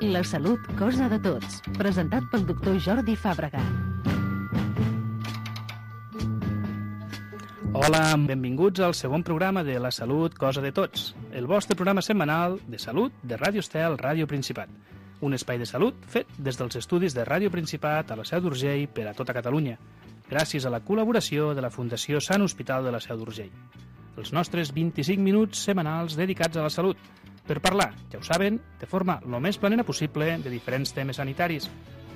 La salut, cosa de tots. Presentat pel doctor Jordi Fàbrega. Hola, benvinguts al segon programa de La salut, cosa de tots. El vostre programa setmanal de salut de Ràdio Estel, Ràdio Principat. Un espai de salut fet des dels estudis de Ràdio Principat a la Seu d'Urgell per a tota Catalunya, gràcies a la col·laboració de la Fundació Sant Hospital de la Seu d'Urgell. Els nostres 25 minuts setmanals dedicats a la salut, per parlar, ja ho saben, de forma el més planera possible de diferents temes sanitaris,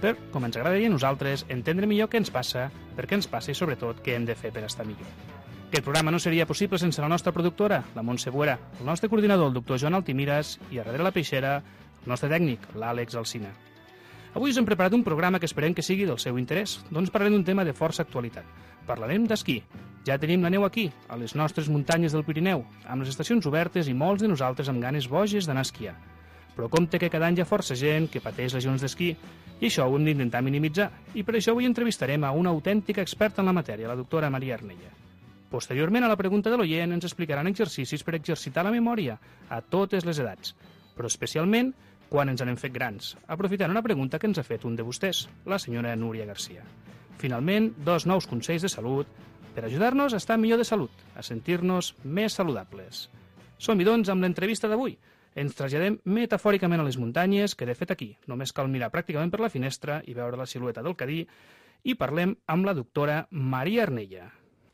per, com ens agradaria a nosaltres, entendre millor què ens passa, per què ens passa i, sobretot, què hem de fer per estar millor. Aquest programa no seria possible sense la nostra productora, la Montse Buera, el nostre coordinador, el doctor Joan Altimiras, i a darrere la peixera, el nostre tècnic, l'Àlex Alsina. Avui us hem preparat un programa que esperem que sigui del seu interès, doncs parlarem d'un tema de força actualitat. Parlarem d'esquí. Ja tenim la neu aquí, a les nostres muntanyes del Pirineu, amb les estacions obertes i molts de nosaltres amb ganes boges d'anar a esquiar. Però compte que cada any hi ha força gent que pateix lesions d'esquí, i això ho hem d'intentar minimitzar, i per això avui entrevistarem a una autèntica experta en la matèria, la doctora Maria Arnella. Posteriorment, a la pregunta de l'oient, ens explicaran exercicis per exercitar la memòria a totes les edats, però especialment quan ens n'hem fet grans, aprofitant una pregunta que ens ha fet un de vostès, la senyora Núria Garcia. Finalment, 2 nous consells de salut per ajudar-nos a estar millor de salut, a sentir-nos més saludables. Som-hi, doncs, amb l'entrevista d'avui. Ens traslladem metafòricament a les muntanyes, que de fet aquí només cal mirar pràcticament per la finestra i veure la silueta del Cadí, i parlem amb la doctora Maria Arnella.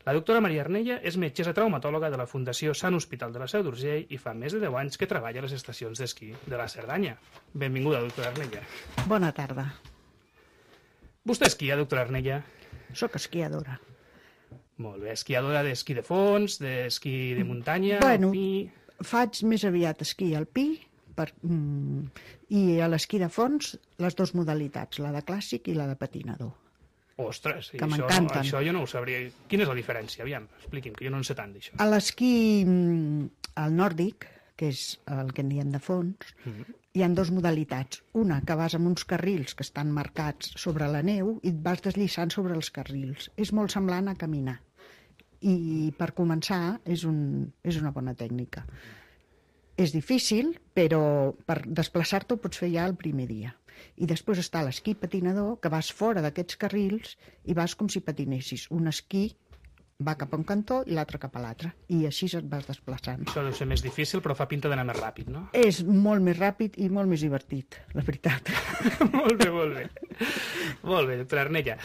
La doctora Maria Arnella és metgessa traumatòloga de la Fundació Sant Hospital de la Seu d'Urgell i fa més de 10 anys que treballa a les estacions d'esquí de la Cerdanya. Benvinguda, doctora Arnella. Bona tarda. Vostè esquia, doctora Arnella? Soc esquiadora. Molt bé, esquiadora d'esquí de fons, d'esquí de muntanya, Bueno, alpí... faig més aviat esquí alpí i a l'esquí de fons les 2 modalitats, la de clàssic i la de patinador. Ostres, que m'encanten. Això jo no ho sabria. Quina és la diferència? Aviam, expliqui'm, que jo no en sé tant d'això. A l'esquí al nòrdic, que és el que en diem de fons, hi ha 2 modalitats. Una, que vas amb uns carrils que estan marcats sobre la neu i et vas deslliçant sobre els carrils. És molt semblant a caminar. I per començar és una bona tècnica. És difícil, però per desplaçar-te ho pots fer ja el primer dia. I després està l'esquí patinador, que vas fora d'aquests carrils i vas com si patinessis. Un esquí va cap a un cantó i l'altre cap a l'altre. I així et vas desplaçant. Això deu ser més difícil, però fa pinta d'anar més ràpid, no? És molt més ràpid i molt més divertit, la veritat. Molt bé, molt bé. Molt bé, doctora Arnella.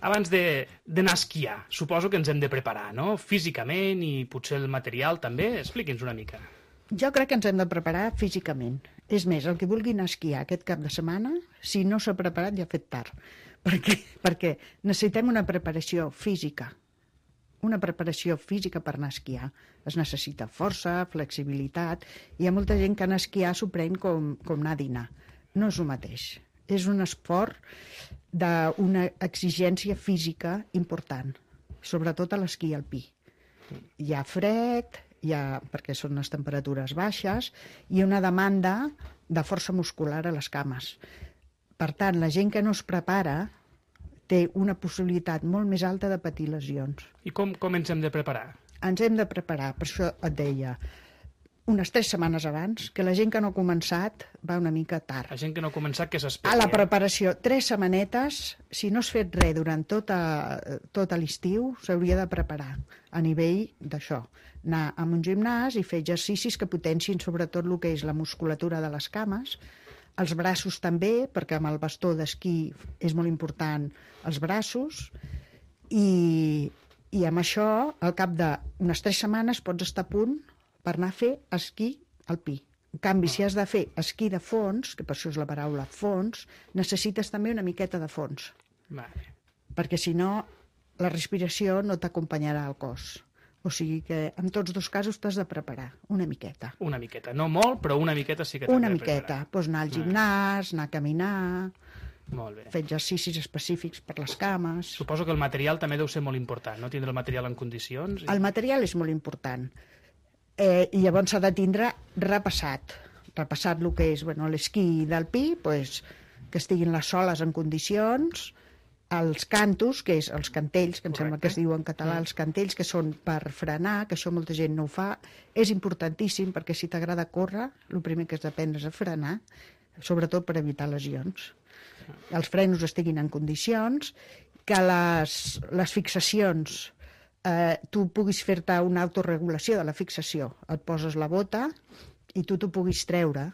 Abans d'anar a esquiar, suposo que ens hem de preparar, no? Físicament i potser el material també. Expliqui'ns una mica. Jo crec que ens hem de preparar físicament. És més, el que vulgui anar a esquiar aquest cap de setmana, si no s'ha preparat ja ha fet tard. Perquè necessitem una preparació física. Una preparació física per anar a esquiar. Es necessita força, flexibilitat. Hi ha molta gent que anar a esquiar s'ho pren com anar a dinar. No és el mateix. És un esport d'una exigència física important, sobretot a l'esquí alpí. Hi ha fred, perquè són les temperatures baixes, i una demanda de força muscular a les cames. Per tant, la gent que no es prepara té una possibilitat molt més alta de patir lesions. I com ens hem de preparar? Ens hem de preparar, per això et deia, unes 3 setmanes abans, que la gent que no ha començat va una mica tard. La gent que no ha començat, que s'esperi. A la preparació, 3 setmanetes, si no has fet res durant tot l'estiu, s'hauria de preparar a nivell d'això. Anar a un gimnàs i fer exercicis que potencin sobretot el que és la musculatura de les cames, els braços també, perquè amb el bastó d'esquí és molt important els braços, i amb això, al cap d'unes 3 setmanes, pots estar a punt per anar a fer esquí alpí. En canvi, si has de fer esquí de fons, que per això és la paraula fons, necessites també una miqueta de fons. Vale. Perquè si no, la respiració no t'acompanyarà al cos. O sigui que en tots 2 casos t'has de preparar una miqueta. Una miqueta, no molt, però una miqueta sí que t'has de preparar. Una miqueta, doncs anar al gimnàs, anar a caminar, molt bé. Fer exercicis específics per les cames. Suposo que el material també deu ser molt important, no? Tindre el material en condicions. El material és molt important. I llavors s'ha de tindre repassat el que és l'esquí d'alpí, que estiguin les soles en condicions, els cantos, que és els cantells, que em sembla que es diu en català, els cantells, que són per frenar, que això molta gent no ho fa, és importantíssim perquè si t'agrada córrer, el primer que has d'aprendre és a frenar, sobretot per evitar lesions. Els frenos estiguin en condicions, que les fixacions, tu puguis fer-te una autorregulació de la fixació. Et poses la bota i tu t'ho puguis treure.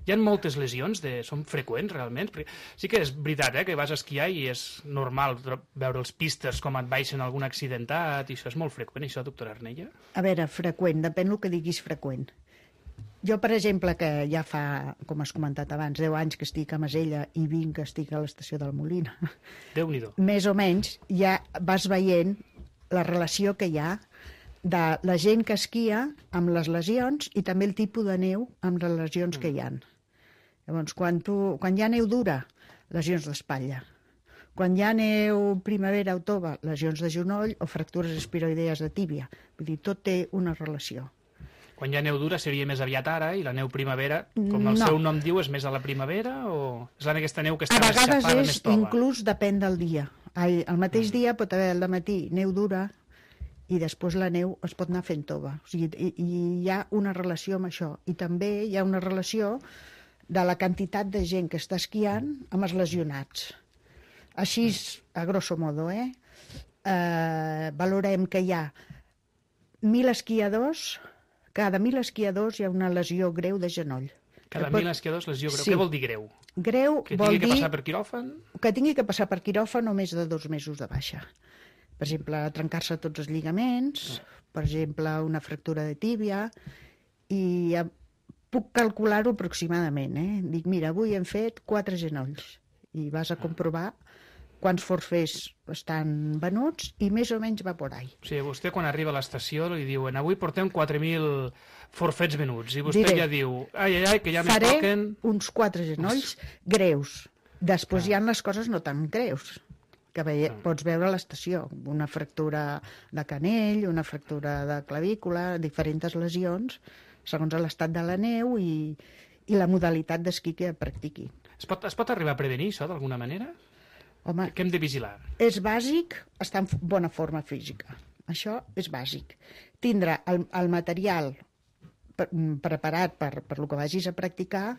Hi ha moltes lesions, són freqüents realment? Perquè sí que és veritat que vas a esquiar i és normal veure els pistes com et baixen algun accidentat, i això és molt freqüent, això, doctora Arnella? A veure, freqüent, depèn del que diguis freqüent. Jo, per exemple, que ja fa, com has comentat abans, 10 anys que estic a Masella i 20 que estic a l'estació del Molina. Déu-n'hi-do. Més o menys ja vas veient la relació que hi ha de la gent que esquia amb les lesions i també el tipus de neu amb les lesions que hi ha. Llavors, quan hi ha neu dura, lesions d'espatlla. Quan hi ha neu primavera o tova, lesions de genoll o fractures espiroidees de tíbia. Vull dir, tot té una relació. Quan hi ha neu dura seria més aviat ara, i la neu primavera, com el seu nom diu, és més a la primavera, o és aquesta neu que està més xafada, més tova? A vegades inclús depèn del dia. El mateix dia pot haver al matí neu dura i després la neu es pot anar fent tova. O sigui, hi ha una relació amb això. I també hi ha una relació de la quantitat de gent que està esquiant amb els lesionats. Així, a grosso modo, valorem que hi ha 1.000 esquiadors, cada 1.000 esquiadors hi ha una lesió greu de genoll. Cada 1.000 esquiadors, lesió greu. Sí. Què vol dir greu? Greu que vol dir... Que tingui que passar per quiròfan? Que tingui que passar per quiròfan o més de 2 mesos de baixa. Per exemple, trencar-se tots els lligaments, per exemple, una fractura de tíbia, i puc calcular-ho aproximadament. Dic, mira, avui hem fet 4 genolls, i vas a comprovar quants forfers estan venuts i més o menys va por ahí. O sigui, vostè quan arriba a l'estació li diuen avui portem 4.000 forfets venuts, i vostè ja diu ai, que ja me toquen... Faré uns 4 genolls greus. Després hi ha les coses no tan greus, que pots veure a l'estació. Una fractura de canell, una fractura de clavícula, diferents lesions, segons l'estat de la neu i la modalitat d'esquí que practiqui. Es pot arribar a prevenir això d'alguna manera? Home, què hem de vigilar? És bàsic estar en bona forma física. Això és bàsic. Tindre el material preparat per el que vagis a practicar,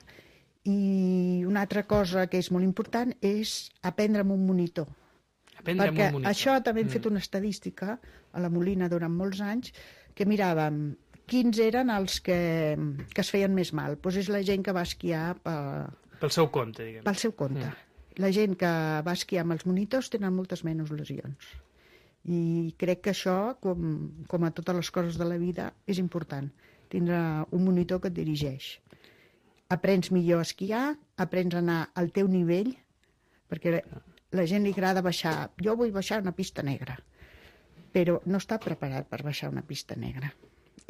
i una altra cosa que és molt important és aprendre amb un monitor. Perquè això també hem fet una estadística a la Molina durant molts anys, que miràvem quins eren els que es feien més mal. Doncs és la gent que va esquiar pel seu compte, diguem. Pel seu compte. La gent que va esquiar amb els monitors tenen moltes menys lesions. I crec que això, com a totes les coses de la vida, és important. Tindre un monitor que et dirigeix. Aprens millor a esquiar, aprens a anar al teu nivell, perquè la gent li agrada baixar. Jo vull baixar una pista negra, però no està preparat per baixar una pista negra.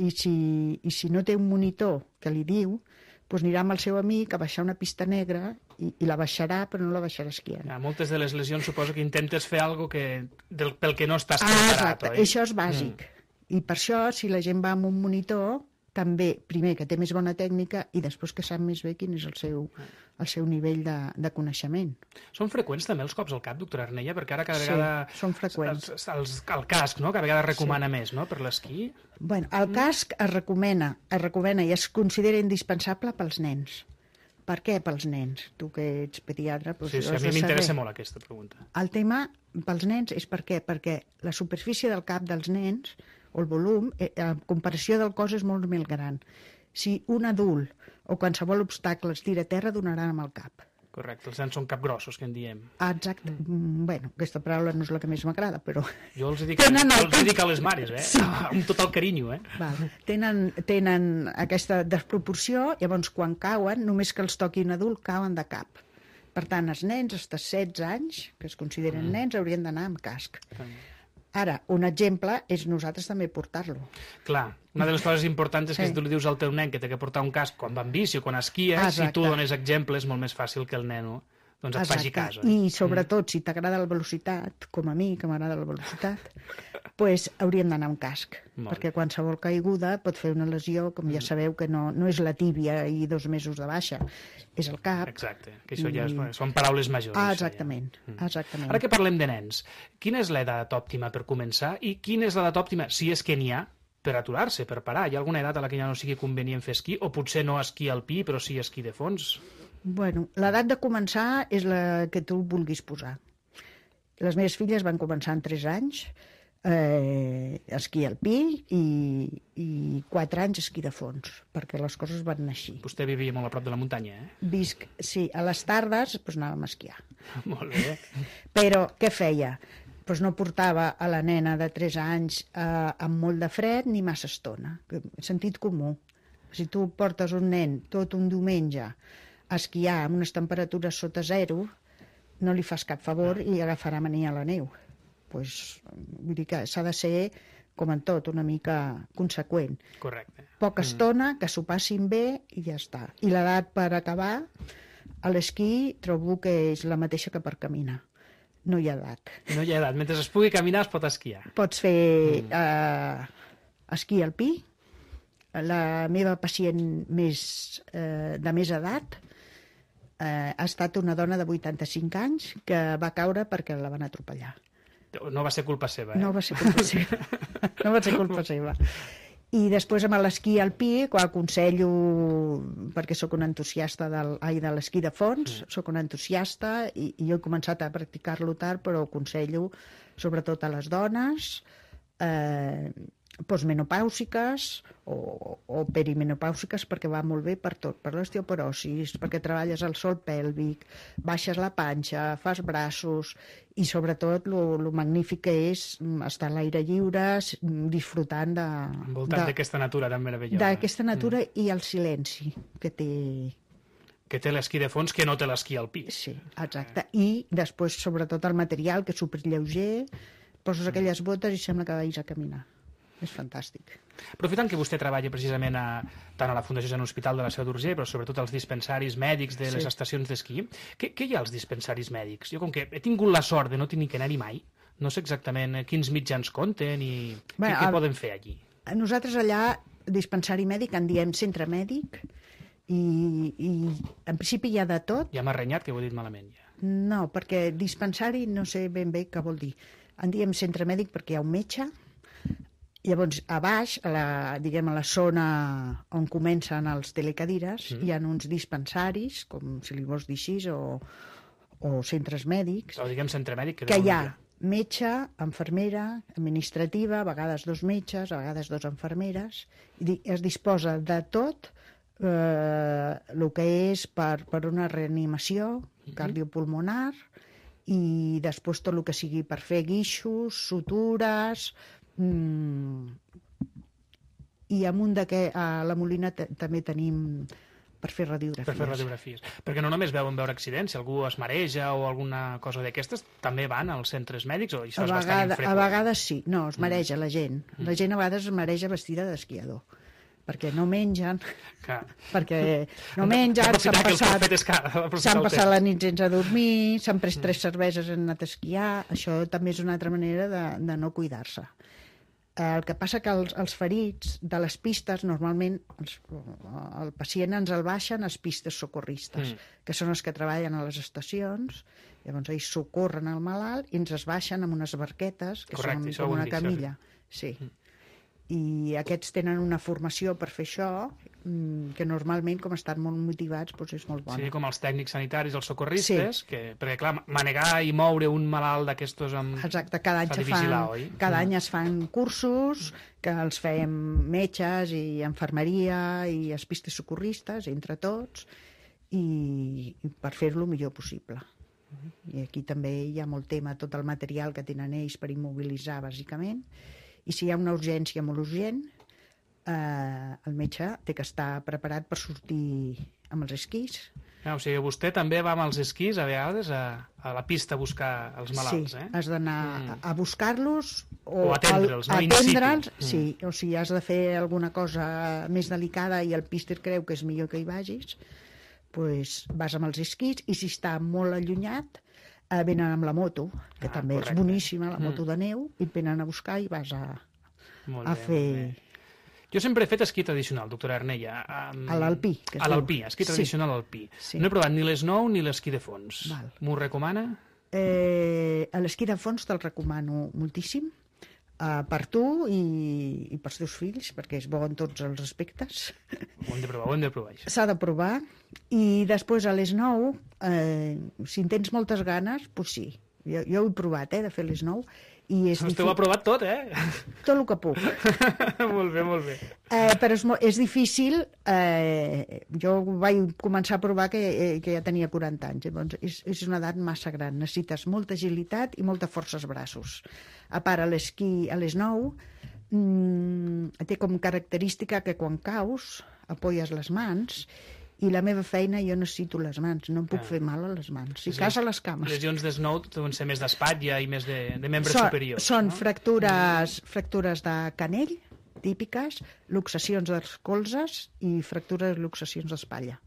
I si no té un monitor que li diu, doncs anirà amb el seu amic a baixar una pista negra i la baixarà, però no la baixarà esquiant. Moltes de les lesions suposo que intentes fer alguna cosa pel que no estàs preparat, exacte. oi? Això és bàsic. I per això, si la gent va amb un monitor, també, primer, que té més bona tècnica i després que sap més bé quin és el seu nivell de coneixement. Són freqüents també els cops al cap, doctora Arnella? Perquè ara cada vegada... Sí, són freqüents. El casc, no?, cada vegada recomana més, no?, per l'esquí. Bueno, el casc es recomana i es considera indispensable pels nens. Per què pels nens? Tu que ets pediatre... Sí, a mi m'interessa molt aquesta pregunta. El tema pels nens és per què? Perquè la superfície del cap dels nens, o el volum, en comparació del cos és molt més gran. Si un adult o qualsevol obstacle es tira a terra, donarà amb el cap. Correcte, els nens són capgrossos, que en diem. Exacte. Bueno, aquesta paraula no és la que més m'agrada, però... Jo els dic a les mares, Sí. Amb tot el carinyo, Val. Tenen aquesta desproporció, llavors quan cauen, només que els toqui un adult, cauen de cap. Per tant, els nens, fins a 16 anys, que es consideren nens, haurien d'anar amb casc. Ara, un exemple és nosaltres també portar-lo. Clar, una de les coses importants és que si tu li dius al teu nen que té que portar un casc quan va en bici o quan esquia, si tu dones exemple és molt més fàcil que el neno et faci cas. I sobretot, si t'agrada la velocitat, com a mi, que m'agrada la velocitat, doncs hauríem d'anar amb casc, perquè qualsevol caiguda pot fer una lesió, com ja sabeu, que no és la tíbia i 2 mesos de baixa, és el cap. Exacte, que això ja són paraules majors. Exactament. Ara que parlem de nens, quina és l'edat òptima per començar i quina és l'edat òptima, si és que n'hi ha, per aturar-se, per parar? Hi ha alguna edat a la que ja no sigui convenient fer esquí, o potser no esquí alpí, però sí esquí de fons? Bueno, l'edat de començar és la que tu vulguis posar. Les meves filles van començar en 3 anys, esquí alpí i 4 anys esquí de fons, perquè les coses van anar així. Vostè vivia molt a prop de la muntanya, eh? Visc, sí, a les tardes doncs anàvem a esquiar. Molt bé. Però què feia? Doncs no portava a la nena de 3 anys amb molt de fred ni massa estona. Sentit comú. Si tu portes un nen tot un diumenge a esquiar amb unes temperatures sota 0, no li fas cap favor i agafarà mania a la neu. Pues, vull dir que s'ha de ser, com en tot, una mica conseqüent. Correcte. Poca estona, que s'ho passin bé i ja està. I l'edat per acabar, a l'esquí trobo que és la mateixa que per caminar. No hi ha edat. No hi ha edat. Mentre es pugui caminar es pot esquiar. Pots fer esquí alpí. La meva pacient de més edat ha estat una dona de 85 anys que va caure perquè la van atropellar. No va ser culpa seva, eh? No va ser culpa seva. No va ser culpa seva. I després amb l'esquí alpí, quan aconsello, perquè sóc un entusiasta de l'esquí de fons, sóc un entusiasta i jo he començat a practicar-lo tard, però aconsello sobretot a les dones postmenopàusiques o perimenopàusiques, perquè va molt bé per tot, per l'osteoporosis, perquè treballes el sòl pèlvic, baixes la panxa, fas braços i sobretot el magnífic que és estar a l'aire lliure disfrutant envoltat d'aquesta natura tan meravellosa. D'aquesta natura i el silenci que té. Que té l'esquí de fons que no té l'esquí alpí. Sí, exacte. I després sobretot el material, que és superlleuger, poses aquelles botes i sembla que vagis a caminar. És fantàstic. Aprofitant que vostè treballa precisament tant a la Fundació Sant Hospital de la Seu d'Urgell, però sobretot als dispensaris mèdics de les estacions d'esquí, què hi ha als dispensaris mèdics? Jo, com que he tingut la sort de no tenir que anar-hi mai, no sé exactament quins mitjans compten i què poden fer allí. Nosaltres allà, dispensari mèdic, en diem centre mèdic, i en principi hi ha de tot. Ja m'ha renyat que ho he dit malament, ja. No, perquè dispensari no sé ben bé què vol dir. En diem centre mèdic perquè hi ha un metge. Llavors, a baix, a la zona on comencen els telecadires, hi ha uns dispensaris, com si li vols dir així, o centres mèdics. O diguem centre mèdic. Que hi ha metge, infermera, administrativa, a vegades 2 metges, a vegades 2 infermeres. I es disposa de tot el que és per una reanimació cardiopulmonar i després tot el que sigui per fer guixos, sutures. I amunt a la Molina també tenim per fer radiografies. Per fer radiografies. Perquè no només veure accidents, si algú es mareja o alguna cosa d'aquestes, també van als centres mèdics o això és bastant infreqüent? A vegades sí. No, es mareja la gent. La gent a vegades es mareja vestida d'esquiador. Perquè no mengen, s'han passat la nit sense dormir, s'han pres 3 cerveses i han anat a esquiar. Això també és una altra manera de no cuidar-se. El que passa que els ferits de les pistes, normalment el pacient ens el baixen a les pistes socorristes, que són els que treballen a les estacions, llavors ells socorren el malalt i ens es baixen amb unes barquetes, que són com una camilla. Sí. I aquests tenen una formació per fer això, que normalment, com estan molt motivats, doncs és molt bona. Sí, com els tècnics sanitaris, els socorristes, perquè, clar, manegar i moure un malalt d'aquestos Exacte, cada any es fan cursos, que els fem metges i infermeria i els pistes socorristes, entre tots, i per fer-lo el millor possible. I aquí també hi ha molt tema, tot el material que tenen ells per immobilitzar, bàsicament, i si hi ha una urgència molt urgent, el metge té que estar preparat per sortir amb els esquís. O sigui, vostè també va amb els esquís a vegades a la pista a buscar els malalts, Sí, has d'anar a buscar-los o atendre'ls, no? Atendre'ls, sí, o sigui, has de fer alguna cosa més delicada i el píster creu que és millor que hi vagis, doncs vas amb els esquís, i si està molt allunyat venen amb la moto, que també és boníssima, la moto de neu, i et venen a buscar i vas a fer... Jo sempre he fet esquí tradicional, doctora Arnella. A l'alpí. A l'alpí, esquí tradicional alpí. No he provat ni l'esnou ni l'esquí de fons. M'ho recomana? L'esquí de fons te'l recomano moltíssim. per tu i pels teus fills, perquè és bo en tots els aspectes. Ho hem de provar, això. S'ha de provar. I després a les 9, si en tens moltes ganes, doncs sí. Jo ho he provat, de fer les 9. Vostè ho ha provat tot, Tot el que puc. Molt bé. Però és difícil. Jo vaig començar a provar que ja tenia 40 anys. Llavors és una edat massa gran. Necessites molta agilitat i molta força als braços. A part, a l'esquí a les 9 té com característica que quan caus apoyes les mans, i la meva feina jo necessito les mans, no em puc fer mal a les mans. Si cas a les cames. Lesions d'esnou deuen ser més d'espatlla i més de membres superiors. Són fractures de canell, típiques, luxacions dels colzes i luxacions d'espatlla.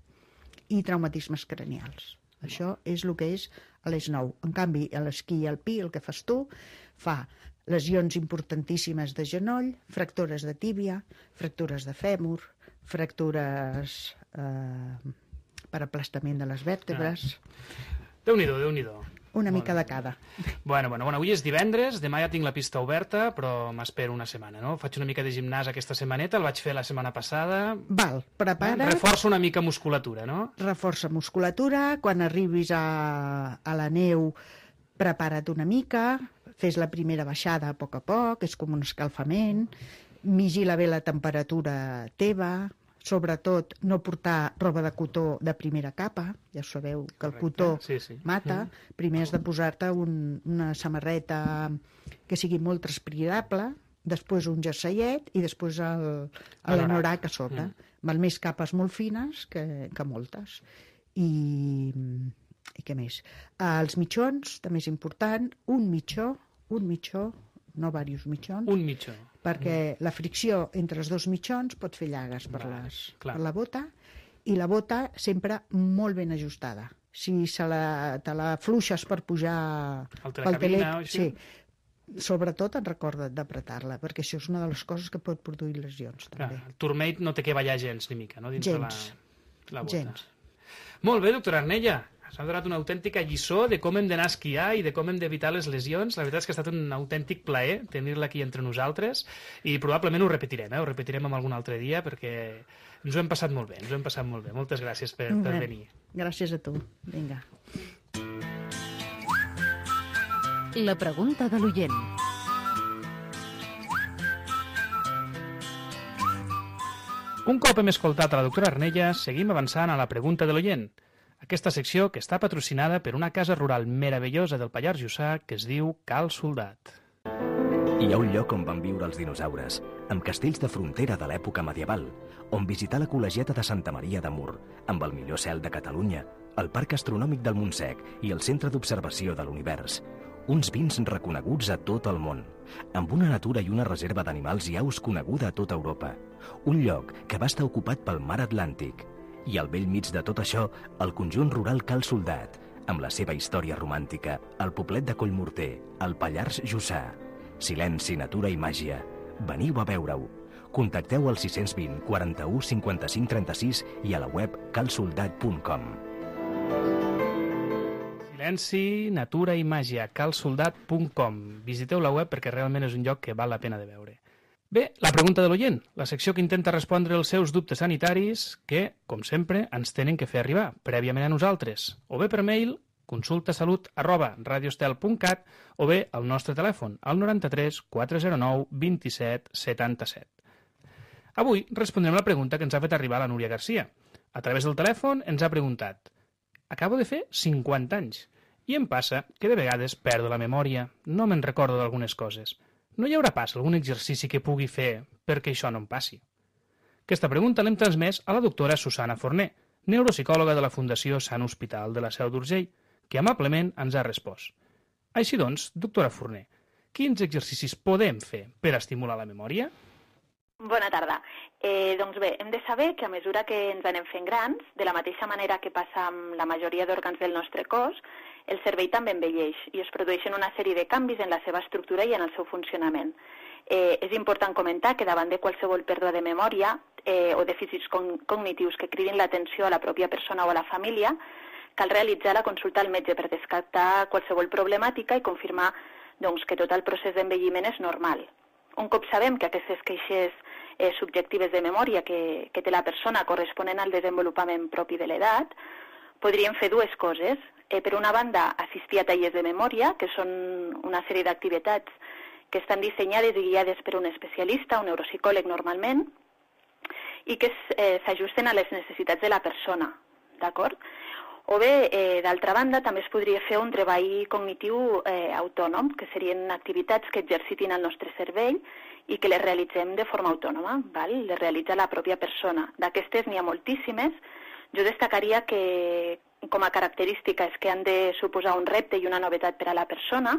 I traumatismes cranials. Això és el que és a les 9. En canvi, a l'esquí alpí, el que fas tu, fa lesions importantíssimes de genoll, fractures de tíbia, fractures de fèmur, fractures per aplastament de les vèrtebres. Déu-n'hi-do. Una mica de cada. Bueno, avui és divendres, demà ja tinc la pista oberta, però m'espero una setmana, no? Faig una mica de gimnàs aquesta setmaneta, el vaig fer la setmana passada. Prepara't. Reforça una mica musculatura, no? Reforça musculatura. Quan arribis a la neu, prepara't una mica, fes la primera baixada a poc, és com un escalfament, vigila bé la temperatura teva, sobretot no portar roba de cotó de primera capa, ja sabeu que el cotó mata. Primer has de posar-te una samarreta que sigui molt transpirable, després un jerseillet i després l'anorac a sobre. Val més capes molt fines que moltes. I què més? Els mitjons, també és important, un mitjó, no diversos mitjons. Un mitjó. Perquè la fricció entre els dos mitjons pot fer llagues per la bota, i la bota sempre molt ben ajustada. Si te la fluixes per pujar pel telèfon, sobretot recorda't d'apretar-la, perquè això és una de les coses que pot produir lesions. També. El turmell no té que ballar gens ni mica, no? Dins gens. De la bota. Gens. Molt bé, doctora Arnella. S'ha donat una autèntica lliçó de com hem d'anar a esquiar i de com hem d'evitar les lesions. La veritat és que ha estat un autèntic plaer tenir-la aquí entre nosaltres i probablement ho repetirem, ho repetirem algun altre dia perquè ens ho hem passat molt bé, Moltes gràcies per venir. Gràcies a tu. Vinga. La pregunta de l'oient. Un cop hem escoltat a la doctora Arnella, seguim avançant a la pregunta de l'oient. Aquesta secció que està patrocinada per una casa rural meravellosa del Pallars Jussà que es diu Cal Soldat. Hi ha un lloc on van viure els dinosaures, amb castells de frontera de l'època medieval, on visitar la col·legiata de Santa Maria de Mur, amb el millor cel de Catalunya, el Parc Astronòmic del Montsec i el Centre d'Observació de l'Univers. Uns vins reconeguts a tot el món, amb una natura i una reserva d'animals i aus coneguda a tota Europa. Un lloc que va estar ocupat pel mar Atlàntic. I al vell mig de tot això, el conjunt rural Cal Soldat, amb la seva història romàntica, el poblet de Collmorter, el Pallars Jussà. Silenci, natura i màgia. Veniu a veure-ho. Contacteu al 620 41 55 36 i a la web calsoldat.com. Silenci, natura i màgia, calsoldat.com. Visiteu la web perquè realment és un lloc que val la pena de veure. Bé, la pregunta de l'oient, la secció que intenta respondre els seus dubtes sanitaris que, com sempre, ens tenen que fer arribar prèviament a nosaltres, o bé per mail, consultasalut@radiostel.cat, o bé al nostre telèfon, al 93 409 27 77. Avui respondrem la pregunta que ens ha fet arribar la Núria Garcia. A través del telèfon ens ha preguntat: acabo de fer 50 anys i em passa que de vegades perdo la memòria, no me'n recordo d'algunes coses. No hi haurà pas algun exercici que pugui fer perquè això no em passi? Aquesta pregunta l'hem transmès a la doctora Susana Forner, neuropsicòloga de la Fundació Sant Hospital de la Seu d'Urgell, que amablement ens ha respost. Així doncs, doctora Forner, quins exercicis podem fer per estimular la memòria? Bona tarda. Doncs bé, hem de saber que a mesura que ens anem fent grans, de la mateixa manera que passa amb la majoria d'òrgans del nostre cos, el cervell també envelleix i es produeixen una sèrie de canvis en la seva estructura i en el seu funcionament. És important comentar que davant de qualsevol pèrdua de memòria o dèficits cognitius que cridin l'atenció a la pròpia persona o a la família, cal realitzar la consulta al metge per descartar qualsevol problemàtica i confirmar que tot el procés d'envelliment és normal. un cop sabem que aquestes queixes subjectives de memòria que té la persona corresponen al desenvolupament propi de l'edat, podríem fer dues coses. Per una banda, assistir a tallers de memòria, que són una sèrie d'activitats que estan dissenyades i guiades per un especialista, un neuropsicòleg normalment, i que s'ajusten a les necessitats de la persona, d'acord? O bé, d'altra banda, també es podria fer un treball cognitiu autònom, que serien activitats que exercitin el nostre cervell i que les realitzem de forma autònoma, val? Les realitza la pròpia persona. D'aquestes n'hi ha moltíssimes. Jo destacaria que com a característica és que han de suposar un repte i una novetat per a la persona,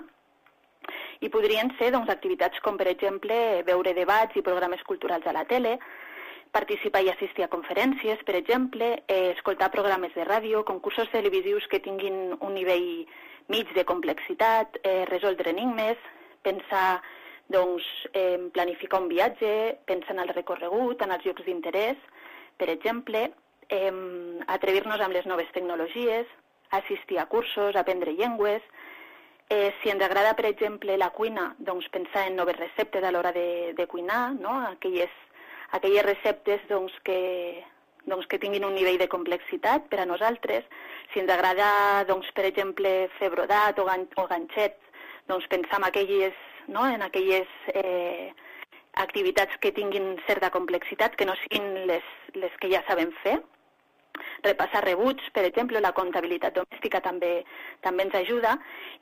i podrien ser activitats com, per exemple, veure debats i programes culturals a la tele, participar i assistir a conferències, per exemple, escoltar programes de ràdio, concursos televisius que tinguin un nivell mig de complexitat, resoldre enigmes, pensar, planificar un viatge, pensar en el recorregut, en els llocs d'interès, per exemple, atrevir-nos amb les noves tecnologies, assistir a cursos, aprendre llengües. Si ens agrada, per exemple, la cuina, doncs pensar en noves receptes a l'hora de cuinar, no? Aquelles receptes que tinguin un nivell de complexitat per a nosaltres. Si ens agrada, per exemple, fer brodat o ganxets, pensar en aquelles activitats que tinguin certa complexitat, que no siguin les que ja sabem fer. Repassar rebuts, per exemple, la comptabilitat domèstica també ens ajuda,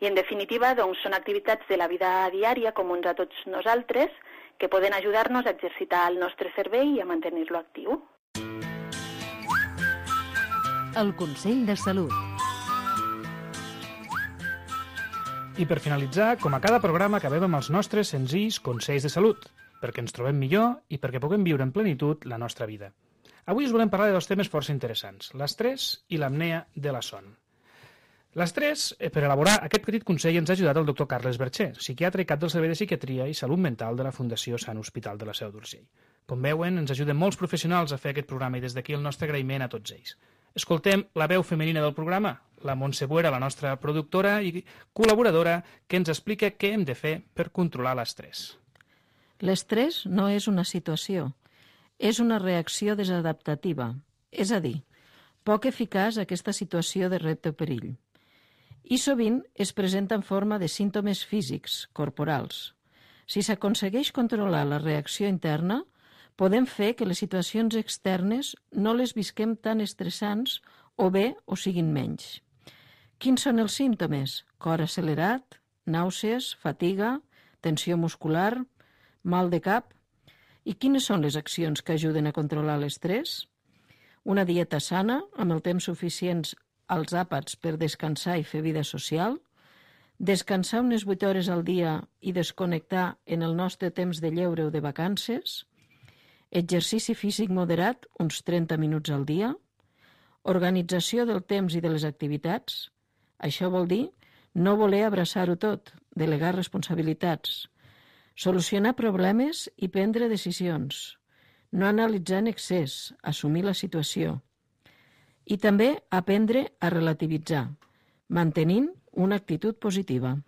i en definitiva són activitats de la vida diària comuns a tots nosaltres que poden ajudar-nos a exercitar el nostre cervell i a mantenir-lo actiu. El Consell de Salut. I per finalitzar, com a cada programa, acabem amb els nostres senzills consells de salut, perquè ens trobem millor i perquè puguem viure en plenitud la nostra vida. Avui us volem parlar de dos temes força interessants, l'estrès i l'apnea de la son. L'estrès, per elaborar aquest petit consell, ens ha ajudat el doctor Carles Bercher, psiquiatre i cap del Servei de Psiquiatria i Salut Mental de la Fundació Sant Hospital de la Seu d'Urgell. Com veuen, ens ajuden molts professionals a fer aquest programa i des d'aquí el nostre agraïment a tots ells. Escoltem la veu femenina del programa, la Montse Buera, la nostra productora i col·laboradora, que ens explica què hem de fer per controlar l'estrès. L'estrès no és una situació, és una reacció desadaptativa, és a dir, poc eficaç aquesta situació de repte o perill. I sovint es presenta en forma de símptomes físics, corporals. Si s'aconsegueix controlar la reacció interna, podem fer que les situacions externes no les visquem tan estressants o bé o siguin menys. Quins són els símptomes? Cor accelerat, nàusees, fatiga, tensió muscular, mal de cap. I quines són les accions que ajuden a controlar l'estrès? Una dieta sana, amb el temps suficients als àpats per descansar i fer vida social, descansar unes 8 hores al dia i desconnectar en el nostre temps de lleure o de vacances, exercici físic moderat, uns 30 minuts al dia, organització del temps i de les activitats. Això vol dir no voler abraçar-ho tot, delegar responsabilitats, solucionar problemes i prendre decisions, no analitzar en excés, assumir la situació. I també aprendre a relativitzar, mantenint una actitud positiva.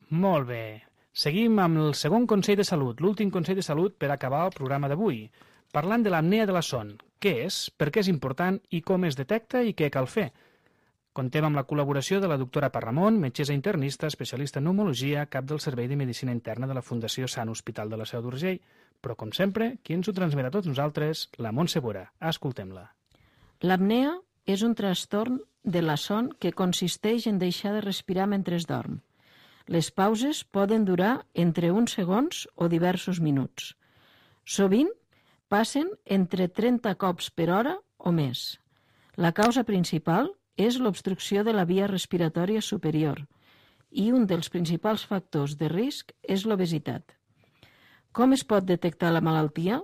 Molt bé. Seguim amb el segon consell de salut, l'últim consell de salut per acabar el programa d'avui, parlant de l'apnea de la son. Què és, per què és important i com es detecta i què cal fer? Contem amb la col·laboració de la doctora Parramon, metgessa internista, especialista en pneumologia, cap del Servei de Medicina Interna de la Fundació Sant Hospital de la Seu d'Urgell. Però, com sempre, qui ens ho transmet a tots nosaltres? La Montse Buera. Escoltem-la. L'apnea és un trastorn de la son que consisteix en deixar de respirar mentre es dorm. Les pauses poden durar entre uns segons o diversos minuts. Sovint passen entre 30 cops per hora o més. La causa principal és l'obstrucció de la via respiratòria superior i un dels principals factors de risc és l'obesitat. Com es pot detectar la malaltia?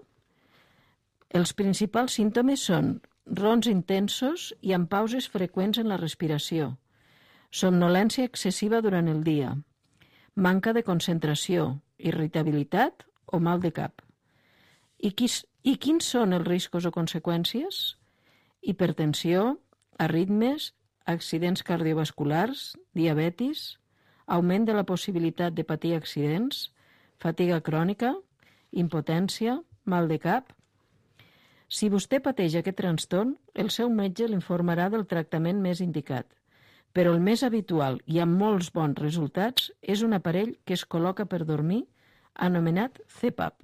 Els principals símptomes són rons intensos i amb pauses freqüents en la respiració, somnolència excessiva durant el dia, manca de concentració, irritabilitat o mal de cap. I quins són els riscos o conseqüències? Hipertensió, arritmes, accidents cardiovasculars, diabetis, augment de la possibilitat de patir accidents, fatiga crònica, impotència, mal de cap. Si vostè pateix aquest trastorn, el seu metge l'informarà del tractament més indicat. Però el més habitual i amb molts bons resultats és un aparell que es col·loca per dormir, anomenat CPAP.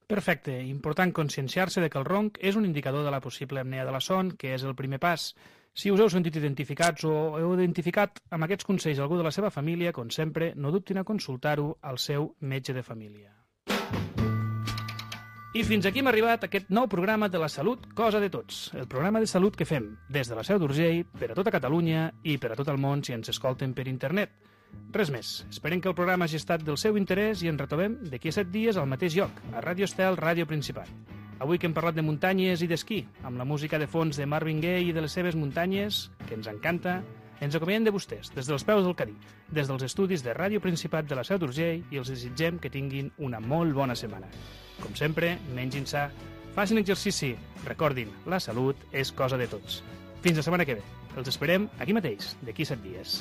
Perfecte. Important conscienciar-se de que el ronc és un indicador de la possible apnea de la son, que és el primer pas. Si us heu sentit identificats o heu identificat amb aquests consells algú de la seva família, com sempre, no dubtin a consultar-ho al seu metge de família. I fins aquí hem arribat a aquest nou programa de la salut, cosa de tots. El programa de salut que fem des de la Seu d'Urgell, per a tota Catalunya i per a tot el món si ens escolten per internet. Res més. Esperem que el programa hagi estat del seu interès i ens retrobem d'aquí a 7 dies al mateix lloc, a Ràdio Estel, Ràdio Principat. Avui que hem parlat de muntanyes i d'esquí, amb la música de fons de Marvin Gaye i de les seves muntanyes, que ens encanta, ens acomiadem de vostès, des dels peus del Cadí, des dels estudis de Ràdio Principat de la Seu d'Urgell i els desitgem que tinguin una molt bona setmana. Com sempre, mengin sa, facin exercici, recordin, la salut és cosa de tots. Fins la setmana que ve. Els esperem aquí mateix, d'aquí 7 dies.